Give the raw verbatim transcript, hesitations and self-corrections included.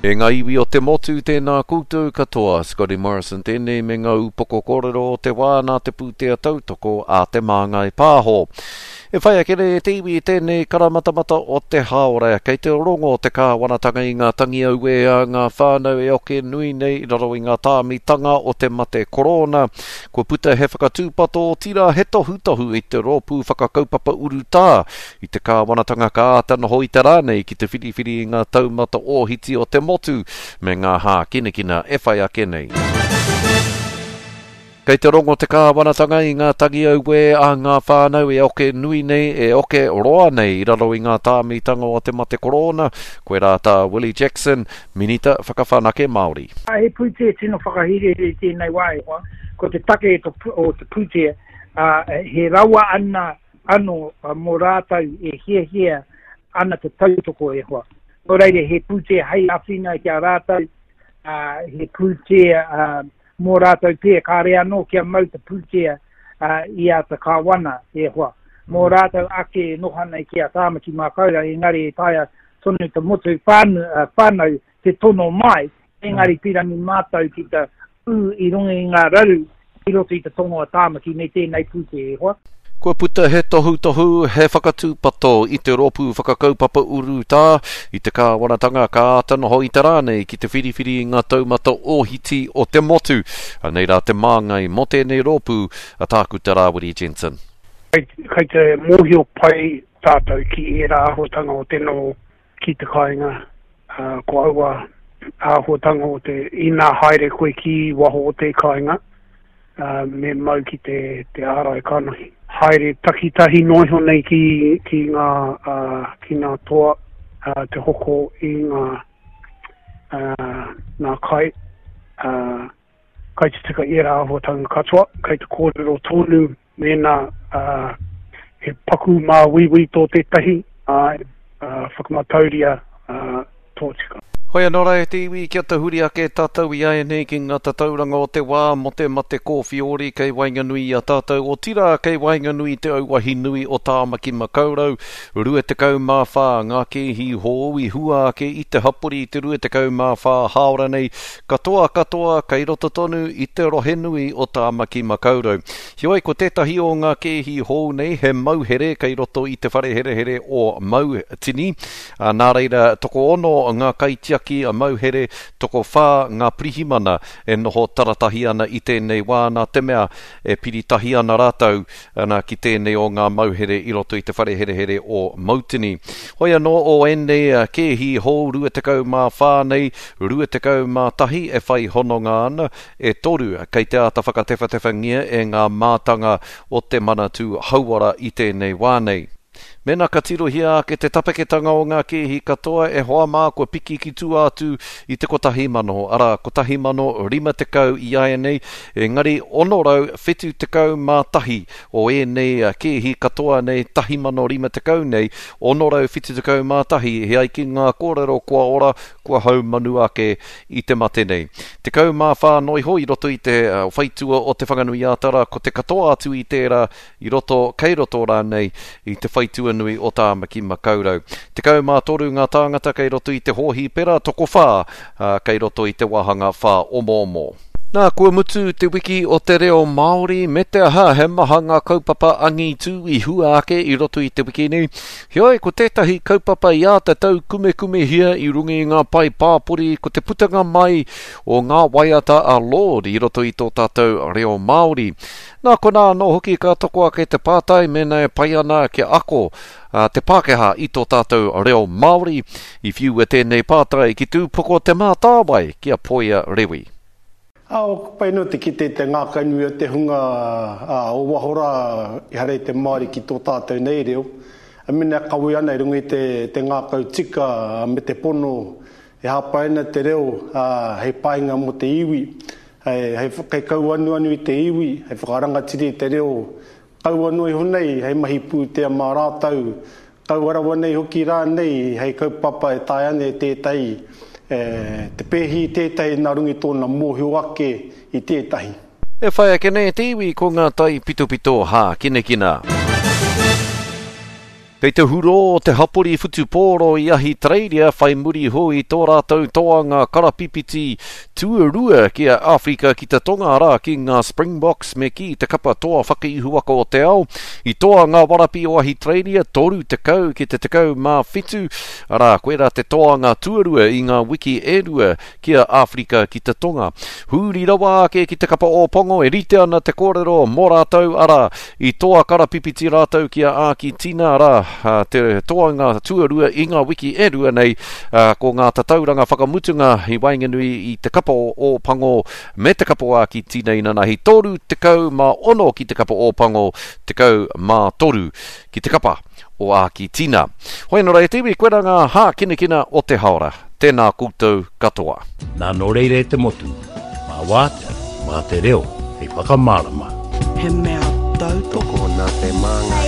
E ngā iwi o te motu, tēnā koutou katoa. Scotty Morrison tēnei me ngā upoko kōrero o te wā nā te pūtea tautoko a Te Māngai Pāho. E whai ake nei e te iwi i tēnei karamatamata o te hāora, kei te rongo te kāwanatanga i ngā tangi auē a ngā whānau e oke nui nei i raro i ngā tāmitanga o te mate korona. Kua puta he whakatūpato, otirā he tohutohu i te rōpū whakakaupapa urutā i te kāwanatanga ka āta noho i te rā nei ki te whiriwhiri i ngā taumata ōhiti o te motu me ngā hākinakina e whai ake nei. Kei te rongo te kāwanatanga i ngā tangi auē a ngā whānau e oke nui nei, e oke roa nei i raro i ngā tāmitanga o te mate korona, koirā tā Willie Jackson, Minita Whakawhanake Māori. He pūtea tino whakahirahira i tēnei wā e hoa. Ko te take o te pūtea, he rawa ana anō mō rātou e hiahia ana te tautoko e hoa. Nō reira, he pūtea hei āwhina ki a rātou, he pūtea mō rātou pē, kāre anō kia mau te pūtea i a te kāwana e hoa. Mō rātou ake e noho ana ki a Tāmaki Makaurau, engari e taea tonu te motu whānau te tono mai, engari pīrangi mātou ki te ū i runga i ngā raru i roto i te tonga o Tāmaki me tēnei pūtea e hoa. Kua puta he tohutohu, he whakatūpato i te rōpū whakakaupapa urutā i te kāwanatanga ka āta noho i te rā nei ki te whiriwhiri i ngā taumata ōhiti o te motu. Anei rā te māngai mō tēnei rōpū a Tākuta Rāwiri Jensen. Kei te mōhio pai tātou ki ērā āhuatanga o te noho ki te kāinga, ko aua āhuatanga o te ina haere koe ki waho o te kāinga, me mau ki te, te ārai kanohi. Haere takitahi noa iho nei ki, ki ngā, uh, ki ngā toa, uh, te hoko i ngā, uh, ngā kai, uh, kai te tika i ērā āhuatanga katoa, kai te kōrero tonu mēnā uh, he paku māuiui tō tētahi, uh, uh, whakamatauria uh, tō tika. Hoi anō rā e te iwi, kia tahuri ake tātou i āianei ki ngā tatauranga o te wā mō te mate kōwhiori kei waenganui i a tātou, otirā kei waenganui i te auahi nui o Tāmaki Makaurau, rua tekau mā whā ngā kēhi hou i hua ake i te hapori i te rua tekau mā whā hāora nei, katoa katoa kei roto tonu i te rohe nui o Tāmaki Makaurau. Heoi, ko tētahi o ngā kēhi hou nei he mauhere kei roto i te whare herehere o Mautini. Nā reira, tokoono ngā kaitiaki a mauhere, tokowhā ngā pirihimana e noho taratahi ana i tēnei wā nā te mea e piritahi ana rātou ana ki tēnei o ngā mauhere i roto i te whare herehere o Mautini. Hoi anō o ēnei kēhi hou rua tekau mā whā nei, rua tekau mā tahi e whai hononga ana, e toru kei te āta whakatewhatewhangia e ngā mātanga o te Manatū Hauora i tēnei wā nei. Mēnā ka tirohia ake te tapeketanga o ngā kēhi katoa e hoa mā kua piki ki tua atu i te kotahi mano, arā, kotahi mano rima tekau i āianei, engari ono rau whitu tekau mā tahi o ēnei kēhi katoa nei, tahi mano rima tekau nei, ono rau whitu tekau mā tahi, he ai ki ngā kōrero kua ora, kua haumanu ake i te mate nei. Tekau mā whā noa iho i roto i te whaitua o Te Whanganui-ā-Tara, ko te katoa atu i tērā i roto, kei roto rānei i te whaitua nui o Tāmaki Makaurau. Tekau mā toru ngā tāngata kei roto i te hōhipera, tokowhā, ā, kei roto i te wāhanga whā omoomo. Nā, kua mutu te wiki o te reo Māori, me te aha, he maha ngā kaupapa angitu i hua ake i roto i te wiki nei. Heoi, ko tētahi kaupapa i āta taukumekumehia i runga i ngā pae pāpori, ko te putanga mai o ngā waiata a Lorde i roto i tō tātou reo Māori. Nā, konā anō hoki ka toko ake te pātai mēnā e pai ana kia ako a te Pākehā i tō tātou reo Māori. I whiua tēnei pātai ki tūpoko te mātāwai ki a Poia Rewi. Ā, o pai no te kite te ngākaunui o te hunga, ā, o waho rā i hara i te Māori ki tō tātou nei reo. A mena kawe ana i runga i te, te ngākau tika me te pono e hāpai ana te reo, ā, hei painga mō te iwi, hei, hei hei kauanuanu i te iwi, hei whakarangatiri i te reo. Kaua noa iho nei, hei mahi pūtea mā rātou, kaua rawa nei hoki rā nei, hei kaupapa e taea ana e tētahi, e, te pēhi i tētahi nā runga i tōna mōhio ake i tētahi. E whai ake nei te iwi ko ngā tai pitopito hākinakina. Kei te huro te hapori whutupōro i Ahitereiria whai muri ho i tō rātou toanga karapipiti tuarua ki a Āwherika ki te Tonga, arā ki ngā Springboks me ki te kapa toa whakaihuwaka o te ao. I toa ngā warapi o Ahitereiria toru tekau ki te tekau mā whitu, arā koirā te toanga tuarua i ngā wiki e rua ki a Āwherika ki te Tonga. Huri rawa ake ki te kapa Ōpango e rite ana te kōrero mō rātou, arā i toa karapipiti rātou ki a Ākitina, arā te toanga tuarua i ngā wiki e rua nei, ko ngā tatauranga whakamutunga i waenganui i te kapa o Ōpango me te kapa o Ākitina inanahi toru tekau mā ono ki te kapa o Ōpango, tekau mā toru ki te kapa o Ākitina. Hoi anō rā e te iwi, koirā ngā hākinakina o te haora. Tēnā koutou katoa. Nā nō reira e te motu, mā wātea, mā te reo, hei whakamārama. He mea tautoko nā te māngai.